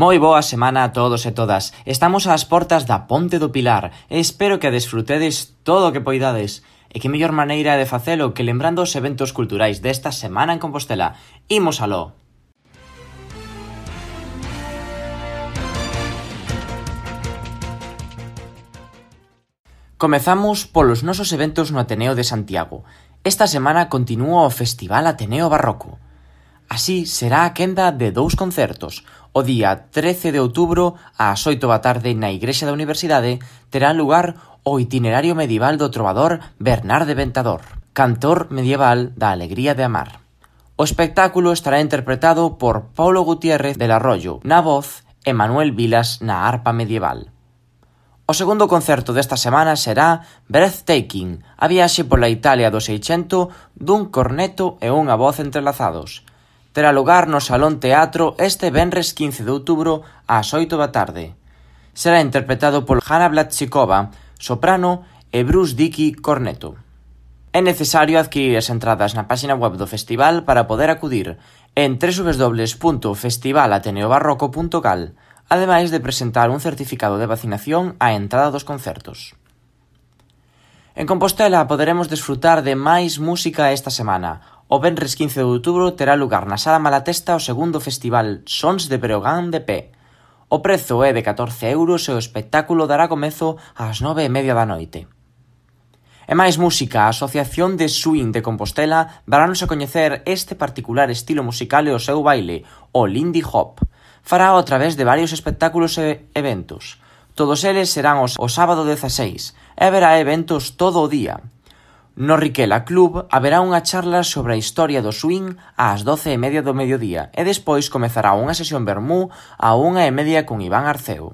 Moi boa semana a todos e todas. Estamos ás portas da Ponte do Pilar e espero que desfrutedes todo o que poidades. E que mellor maneira de facelo que lembrando os eventos culturais desta semana en Compostela. Imos aló! Comezamos polos nosos eventos no Ateneo de Santiago. Esta semana continúa o Festival Ateneo Barroco. Así será a quenda de 2 concertos. O día 13 de outubro, ás 8 da tarde, na Igrexa da Universidade, terá lugar o itinerario medieval do trovador Bernarde Ventador, cantor medieval da alegría de amar. O espectáculo estará interpretado por Paulo Gutiérrez del Arroyo na voz e Manuel Vilas na arpa medieval. O segundo concerto desta semana será Breathtaking, a viaxe pola Italia do Seicento dun corneto e unha voz entrelazados. Terá lugar no Salón Teatro este venres 15 de outubro ás 8 da tarde. Será interpretado por Hanna Blatsikova, soprano, e Bruce Dickey, corneto. É necesario adquirir as entradas na página web do festival para poder acudir en www.festivalateneobarroco.cal, ademais de presentar un certificado de vacinación á entrada dos concertos. En Compostela poderemos desfrutar de máis música esta semana. O venres 15 de outubro terá lugar na Sala Malatesta o segundo festival Sons de Breogán de Pé. O prezo é de 14 euros e o espectáculo dará comezo ás 9:30 da noite. E máis música, a Asociación de Swing de Compostela darános a coñecer este particular estilo musical e o seu baile, o Lindy Hop. Fará a través de varios espectáculos e eventos. Todos eles serán o sábado 16 e haberá eventos todo o día. No Riquela Club haberá unha charla sobre a historia do swing ás 12:30 do mediodía e despois comezará unha sesión vermú á 1:30 con Iván Arceo.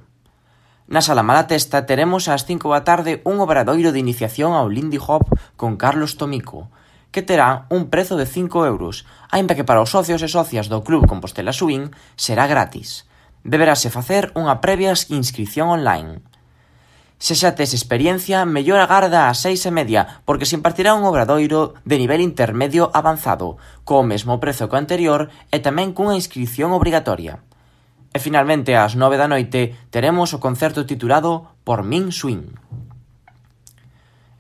Na Sala Malatesta teremos ás 5 da tarde un obradoiro de iniciación ao Lindy Hop con Carlos Tomico, que terá un prezo de 5 euros, aínda que para os socios e socias do Club Compostela Swing será gratis. Deberase facer unha previa inscripción online. Se xa tes experiencia, mellor agarda ás 6:30, porque se impartirá un obradoiro de nivel intermedio avanzado, co mesmo prezo que o anterior e tamén cunha inscripción obrigatoria. E finalmente, ás 9 da noite, teremos o concerto titulado Por Min Swing.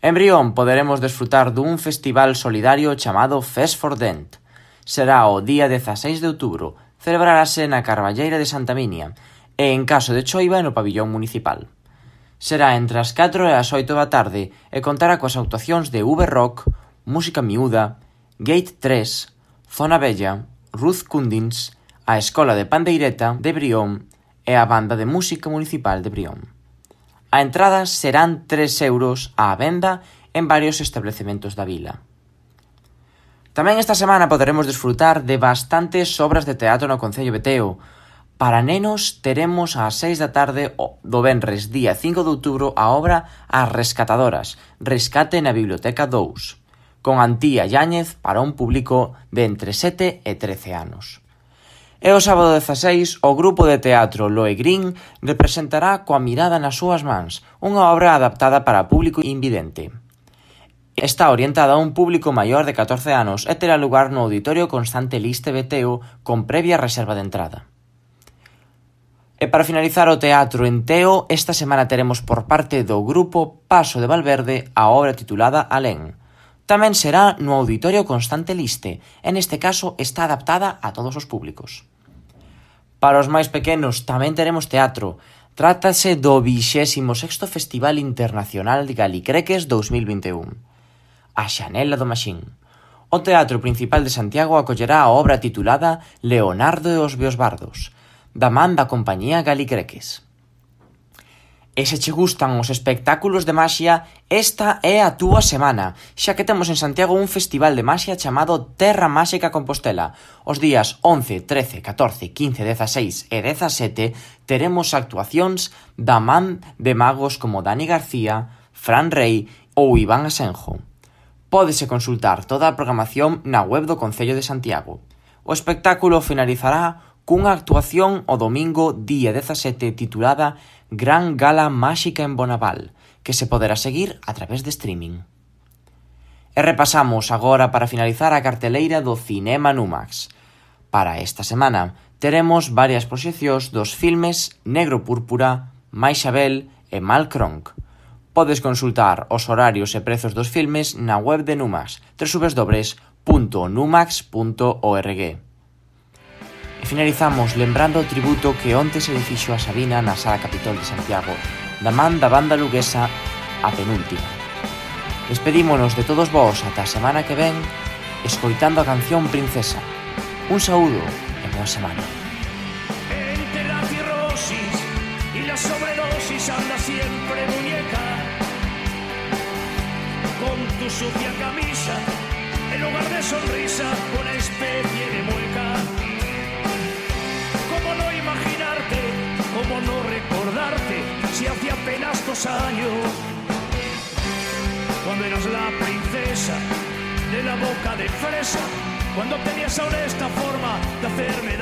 En Brión poderemos desfrutar dun festival solidario chamado Fest for Dent. Será o día 16 de outubro, celebrarase na Carballeira de Santa Minia e, en caso de choiva, no pabillón municipal. Será entre as 4 e as 8 da tarde e contará coas actuacións de V-Rock, Música Miúda, Gate 3, Zona Bella, Ruth Kundins, a Escola de Pandeireta de Brión e a Banda de Música Municipal de Brión. A entrada serán 3 euros á venda en varios establecementos da vila. Tamén esta semana poderemos desfrutar de bastantes obras de teatro no Concello de Teo. Para nenos teremos ás 6 da tarde do venres día 5 de outubro a obra As Rescatadoras, Rescate na Biblioteca 2, con Antía Yáñez para un público de entre 7 e 13 anos. E o sábado 16, o grupo de teatro Loe Green representará Coa mirada nas súas mans, unha obra adaptada para público invidente. Está orientada a un público maior de 14 anos e terá lugar no Auditorio Constante Liste Beteo con previa reserva de entrada. E para finalizar o teatro en Teo, esta semana teremos por parte do grupo Paso de Valverde a obra titulada Alén. Tamén será no Auditorio Constante Liste, e neste caso está adaptada a todos os públicos. Para os máis pequenos tamén teremos teatro. Trátase do 26º Festival Internacional de Galicreques 2021. A Xanela do Maxín. O Teatro Principal de Santiago acollerá a obra titulada Leonardo e os Beosbardos, da man da compañía Galicreques. E se che gustan os espectáculos de maxia, esta é a túa semana, xa que temos en Santiago un festival de maxia chamado Terra Máxica Compostela. Os días 11, 13, 14, 15, 16 e 17 teremos actuacións da man de magos como Dani García, Fran Rey ou Iván Asenjo. Pódese consultar toda a programación na web do Concello de Santiago. O espectáculo finalizará cunha actuación o domingo día 17 titulada Gran Gala Máxica en Bonaval, que se poderá seguir a través de streaming. E repasamos agora para finalizar a carteleira do Cinema Numax. Para esta semana teremos varias proxeccións dos filmes Negro Púrpura, Mais Xabel e Malcronk. Podes consultar os horarios e prezos dos filmes na web de Numax, www.numax.org. E finalizamos lembrando o tributo que onte se dixo a Sabina na Sala Capitol de Santiago, da man da banda luguesa A Penúltima. Despedímonos de todos vós ata a semana que ven, escoitando a canción Princesa. Un saúdo e boa semana. Entre la cirrosis y la sobredosis anda siempre muñeca, con tu sucia camisa, en lugar de sonrisa, una especie de mueca. ¿Cómo no imaginarte, cómo no recordarte, si hace apenas 2 años, cuando eras la princesa de la boca de fresa, cuando tenías aún esta forma de hacerme